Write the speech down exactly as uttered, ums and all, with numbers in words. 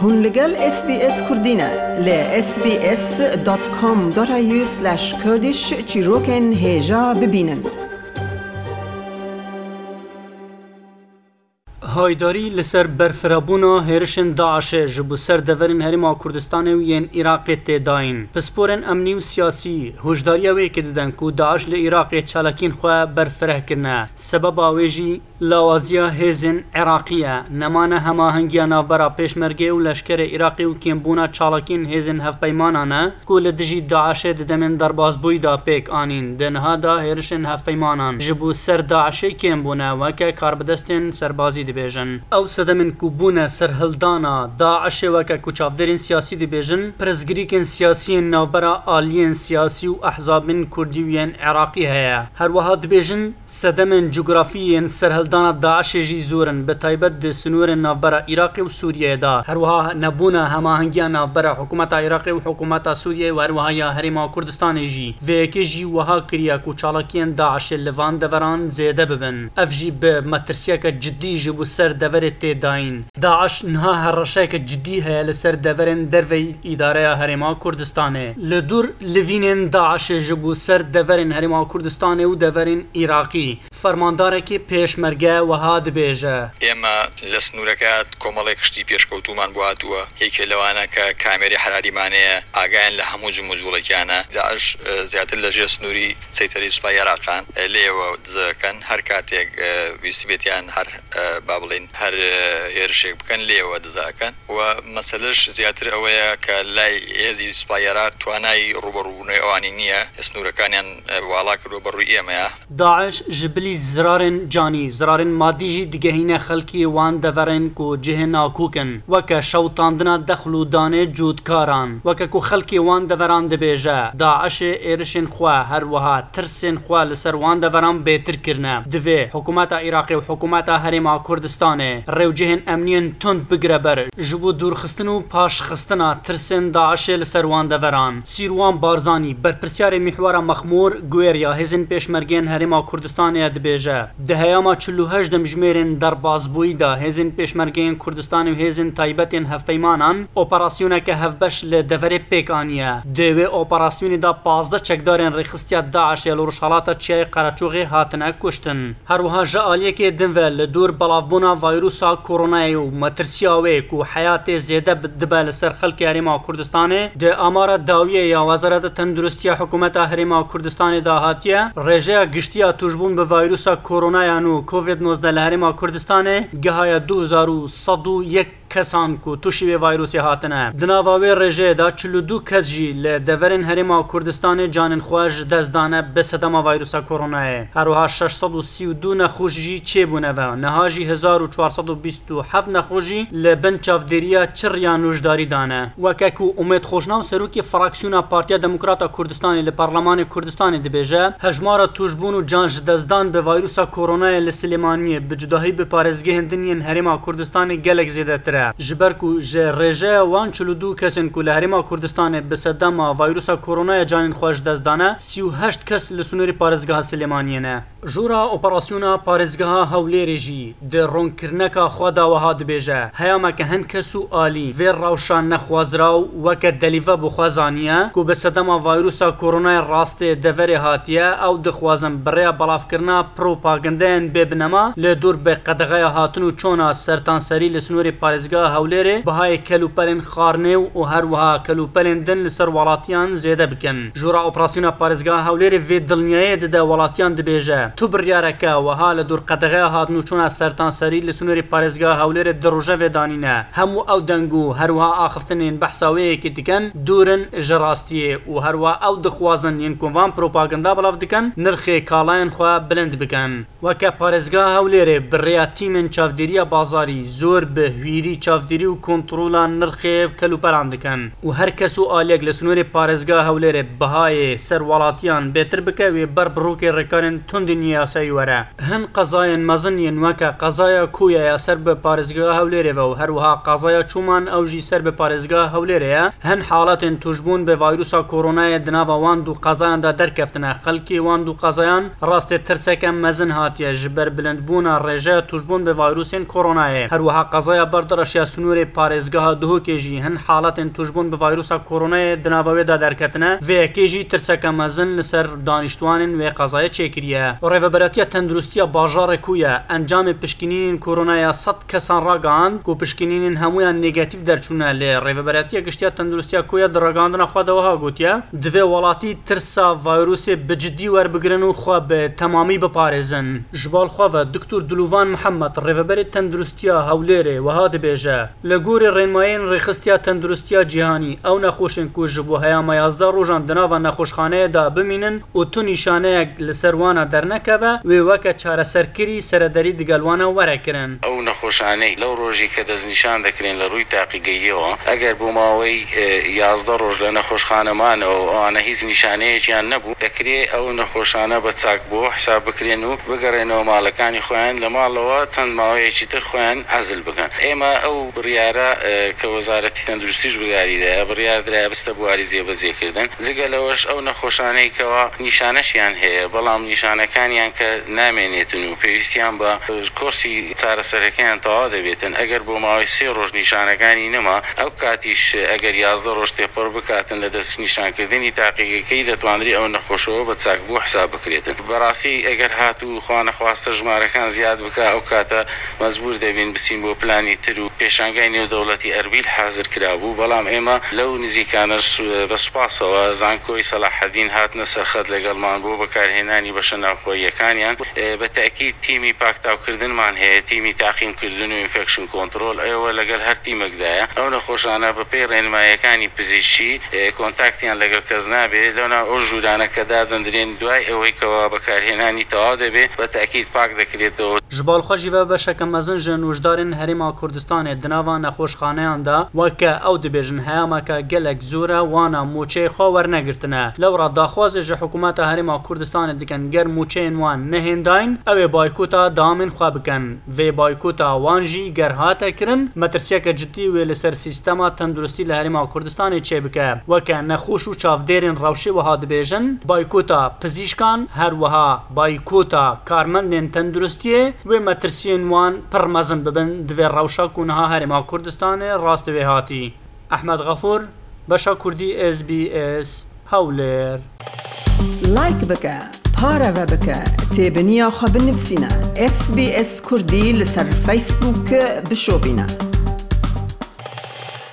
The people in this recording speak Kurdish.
Hûn li gel S B S Kurdî ne. Li S B S dot com dot A U slash Kurdish çîrokên hêja bibînin. Haydarî li ser berfirehbûna hêrişên DAIŞê ji bo ser deverên Herêma Kurdistanê û yên Iraqê tê dayîn. Pisporên emnî û siyasî hişdariya wê yekê didin ku DAIŞ li Iraqê çalakiyên xwe berfireh kirine. Sebeba wê jî lawaziya hêzên Iraqî ye. Nemane hemahengiya navbera pêşmergê û leşkerê Iraqê û kêmbûna çalakiyên hêzên hevpeymanan e ku li dijî DAIŞê di demên derbasbûyî de pêk anîn. Di niha de hêrişên hevpeymanan ji bo ser DAIŞê kêm bûne, weke karbidestên serbazî dibêjin. Ew sedemên ku bûne serhildana DAIŞê, weke ku çavdêrên siyasî dibêjin, pirsgirêkên siyasî yên navbera aliyên siyasî û ehzabên Kurdî û yên Iraqî heye. Her wiha dibêjin, sedemên cografî yên serhildana DAIŞê jî zor in, bi taybet di sînorên navbera Iraqê û Sûriyeyê de. Her wiha nebûna hemahengiya navbera hikûmeta Iraqê û hikûmeta Sûriyeyê û her wiha ya Herêma Kurdistanê jî. Vê yekê jî wiha kiriye ku çalakiyên DAIŞê li van deveran zêde bibin. Ev jî bi metirsiyeke cidî ji bo ser deverê tê dayîn. DAIŞ niha hereşeyeke cidî heye li ser deverên derveyî îdareya Herêma Kurdistanê. Li dûr livînên DAIŞê ji bo ser deverên Herêma Kurdistanê û deverên Iraqî, fermandarekî pêşmerge wiha dibêje. ئێمە لە سنوورەکە کۆمەڵێک شتی پێشکەوتومان بۆ هاتووە. یەکێ لەوانە کە کامێری حراریمانەیە، ئاگایان لە هەموو جموجوڵێکیانە. داعش، ئە، زیاتر لە ژێر سنووری سەیتەری سوپای عێراقان، ئە، لێوە دزەکەن. هەر کاتێک، ئە، ویستی بێتیان هەر، ئە، با بڵێن، هەر، ئە، هێرشێک بکەن، لێوە دزەکەن. و مەسەلەش زیاتر ئەوەیە کە لای هێزی سوپای عێراق توانای ڕوبەڕووبوونەوەی ئەوانی نییە، سنوورەکانیان، ئە، واڵا کردووە بەڕووی ئێمەیە. داعش ji bilî zirarên canî, zirarên madî jî digehîne xelkê wan deverên ku cihê nakok in, weke şewitandina dexl û danê cotkaran. Weke ku xelkê wan deveran dibêje, DAIŞê êrişên xwe, her wiha tirsên xwe li ser wan deveran bêtir kirine. Divê hikûmeta Iraqê û hikûmeta Herêma Kurdistanê rêwcihên emniyên tund bigire ber, ji bo dûrxistin û paşxistina tirsên DAIŞê li ser wan deveran. Sîrwan Barzanî, berpirsyarê Mîhwara Mexmûr, guêriya hêzên pêşmergeyên Herêma Kurdistanê ye, dibêje, di heyama çil û heşt demjimêrên derbasbûyî de hêzên pêşmergeyên Kurdistanê û hêzên taybetên hevpeymanan operasyoneke hevbeş li deverê pêk aniye. Di wê operasyonê de pazdeh çekdarên rêxistiya DAIŞê li Rojhalata Çiyayê Qereçoxê hatine kuştin. Her wiha ji aliyekê din ve li dor belavbûna vayrusa koronayê û metirsiya wê ku heyatê zêde bi-, dibe li ser xelkê Herêma Kurdistanê, di amara dawiyê ya Wezareta Tenduristiya Hikûmeta Herêma Kurdistanê de hatiye, rêjeya giştî ya tûşbûn bi vayrusa koronaya nû Covid nozdeh li Herêma Kurdistanê gihaye du hezar û sed û yek kesan ku tûşî vê vayrosê hatine. Di nava wê rêjeyê de çil û du kes jî li deverên Herêma Kurdistanê canên xwe ji dest dane bi sedema vayrusa koronayê. Her wiha şeş sed û sî û du nexweş jî çêbûne ve. Niha jî hezar û çar sed û bîst û heft nexweş jî li bin çavdêriya çirya nûjdarî dane. Weke ku Umêd Xweşnaw, serokê fraksiyona Partiya Demokrata Kurdistanê li Parlemanê Kurdistanê dibêje, hejmara tûşbûn û can ji destdan bi vayrusa koronayê li Silêmaniyê, bi cudahî bi parêzgehên din yên Herêma Kurdistanê gelek zêdetir e. Ji ber ku ji rêjeya wan çil û du kesên ku li Herêma Kurdistanê bi sedema vayrusa koronayê canên xwe ji dest dane, sî û heşt kes li sînorê parêzgeha Silêmaniyê ne. Jora operasyona parêzgeha Hewlêrê jî di ronkirineka xwe de wiha dibêje, heyameke hin kes û alî vê rewşa nexwaziraw weke delîve bi xwe zaniye ku bi sedema vayrusa koronayê rastê deverê hatiye, ew dixwazin bi rêya belavkirina propagandeyên bê binema li dor bi qedexeya hatin û çona sertanserî li sînorê parêzgeha Hewlêrê bihayê kelûpelên xwarinê û her wiha kelûpelên din li ser welatiyan zêde bikin. Jora operasyona parêzgeha Hewlêrê vê dilniyayê dide welatiyan, dibêje, tu biryareke wiha li dor qedexeya hatin û çona sertanserî li sînorê parêzgeha Hewlêrê di rojevê danîne. Hemû ew deng û her wiha axiftinên behsa wê yekê dikin, dûr in ji rastiyê û her wiha ew dixwazin yên ku van propaganda belav dikin, nirxê kalayên xwe bilind bikin. Weke parêzgeha Hewlêrê bi rêya tîmên çavdêriya bazarî zor bi hwîrî çavdêrî û kontrola nirxê kelûpelan dikin û her kes û aliyek li sînorê parêzgeha Hewlêrê bihayê ser welatiyan bêtir bike, wê ber bi rokê rêkarên tundên yasayî were. Hin qezayên mezin yên weke qezaya Koya ya ser bi parêzgeha Hewlêrê ve û her wiha qezaya Çûman ew jî ser bi parêzgeha Hewlêrê ye, hin haletên tûşbûn bi vayrusa koronayê di nava wan du qezayan de derkeftine. Xelkê wan du qezayan rastê tirseke mezin hatiye ji ber bilindbûna rêjeya tûşbûn bi vayrusên koronayê. Her wiha qezaya Berdireş ya sinûrê parêzgeha Duhokê jî hin haletên tûşbûn bi vayrusa koronayê di nava wê de derketine. Vê yekê jî tirseke mezin li ser danîştwanên wê qezayê çêkiriye. Rêveberatiya Tenduristiya Bajarê Koya encamê pişkinînên koronaya sed kesan ragihand ku pişkinînên hemûyan negatîf derçûne, lê Rêveberatiya Giştiya Tenduristiya Koya di ragihandina xwe de wiha gotiye, divê welatî tirsa vayrusê bi cidî werbigirin û xwe bi temamî biparêzin. Ji bal xwe ve Doktor Dilûvan Mihemed, Rêveberê Tenduristiya Hewlêrê, wiha dibêje, li gorî rênmayên Rêxistiya Tenduristiya Cîhanî, ew nexweşên ku ji bo heyama yazdeh rojan di nava nexweşxaneyê de bimînin û tu nîşaneyek li ser wana dernekeve, wê weke çareserkirî serederî digel wana were kirin. ئەو نەخۆشانەی لەو ڕۆژی کە دەستنیشان دەکرێن لە ڕووی تاقیگەییەوە، ئەگەر بۆ ماوەی، ئێ، یازدە ڕۆژ لە نەخۆشخانە مانەوە و ئەوانە هیچ نیشانەیەکیان نەبوو، دەکرێ ئەو نەخۆشانە بە چاک بۆ حساب بکرێن و بگەڕێنەوە ماڵەکانی خۆیان، لە ماڵەوە چەند ماوەیەکی تر خۆیان عەزل بکەن. ئێمە ئەو بڕیارە، ئێ، کە وەزارەتی تەندروستیش بڕیاری دایە، بڕیار درایە بستە بواری جێبەجێکردن. جگە لەوەش ئەو نەخۆشانەی کەوا نیشانەشیان هەیە، بەڵام نیشانەکانیان کە نامێنێتن و پێویستیان بە کۆرسی چارەسەرەکەیان تەواو دەبێتن. ئەگەر بۆ ماوەی سێ ڕۆژ نیشانەکانی نەما، ئەو کاتیش ئەگەر یازدە ڕۆژ تێپەڕ بکاتن لە دەست نیشانکردنی تاقیگەکەی، دەتوانرێ ئەو نەخۆشەوە بە چاک بۆ حساب بکرێتن. بەڕاستی ئەگەر هاتوو خوا نەخواستە ژمارەکان زیاد بکە، ئەو کاتە مەجبور دەبین بچین بۆ پلانی تر و پێشانگای نێودەوڵەتی ئەربیل حازر کرابوو، بەڵام ئێمە لەو نزیکانە سو-، بە سوپاسەوە زانکۆی سەلاحەدین هاتنە سەرخەت لەگەڵمان بۆ بەکارهێنانی بەشە ناوخۆییەکانیان. ئێ، بە تەئکید تیمی پاکتاوکردنمان هەیە، تیمی تاقیمکردن و ئینفێکشن کۆنترۆل، ئێوە لەگەڵ هەر تیمێکدایە. ئەو نەخۆشانە بە پێی ڕێنماییەکانی پزیشکی، ئێ، کۆنتاکتیان لەگەڵ کەس نابێت. لەو ناو ئەو ژوورانە کە دادەندرێن دوای ئەوەی کەوا بەکارهێنانی تەواو دەبێت، بە تەئکید پاک دەکرێتەوە. Ji bal xwe jî ve beşeke mezin ji nûjdarên Herêma Kurdistanê di nava nexweşxaneyan de, weke ew dibêjin, heyameke gelek zor e, wana mûçeyê xwe wernegirtine. Lewra daxwazê ji hikûmeta Herêma Kurdistanê dikin, ger mûçeyên wan nehêndayîn, ew ê baykota dewamên xwe bikin. Vê baykota wan jî ger hate kirin, metirsiyeke cidî wê li ser sîstema tenduristî li Herêma Kurdistanê çêbike. Weke nexweş û çavdêrên rewşê wiha dibêjin, baykota pizîşkan, her wiha baykota karmendên tenduristiyê, wê metirsiyên wan pir mezin bibin di vê rewşa ku niha Herêma Kurdistanê rastê wê hatî. Ehmed Xefûr, Beşa Kurdî, S B S, Hewlêr. Like bike, pareve bike, têbiniya xwe binivîsîne. S B S Kurdî li ser Facebook bişopîne.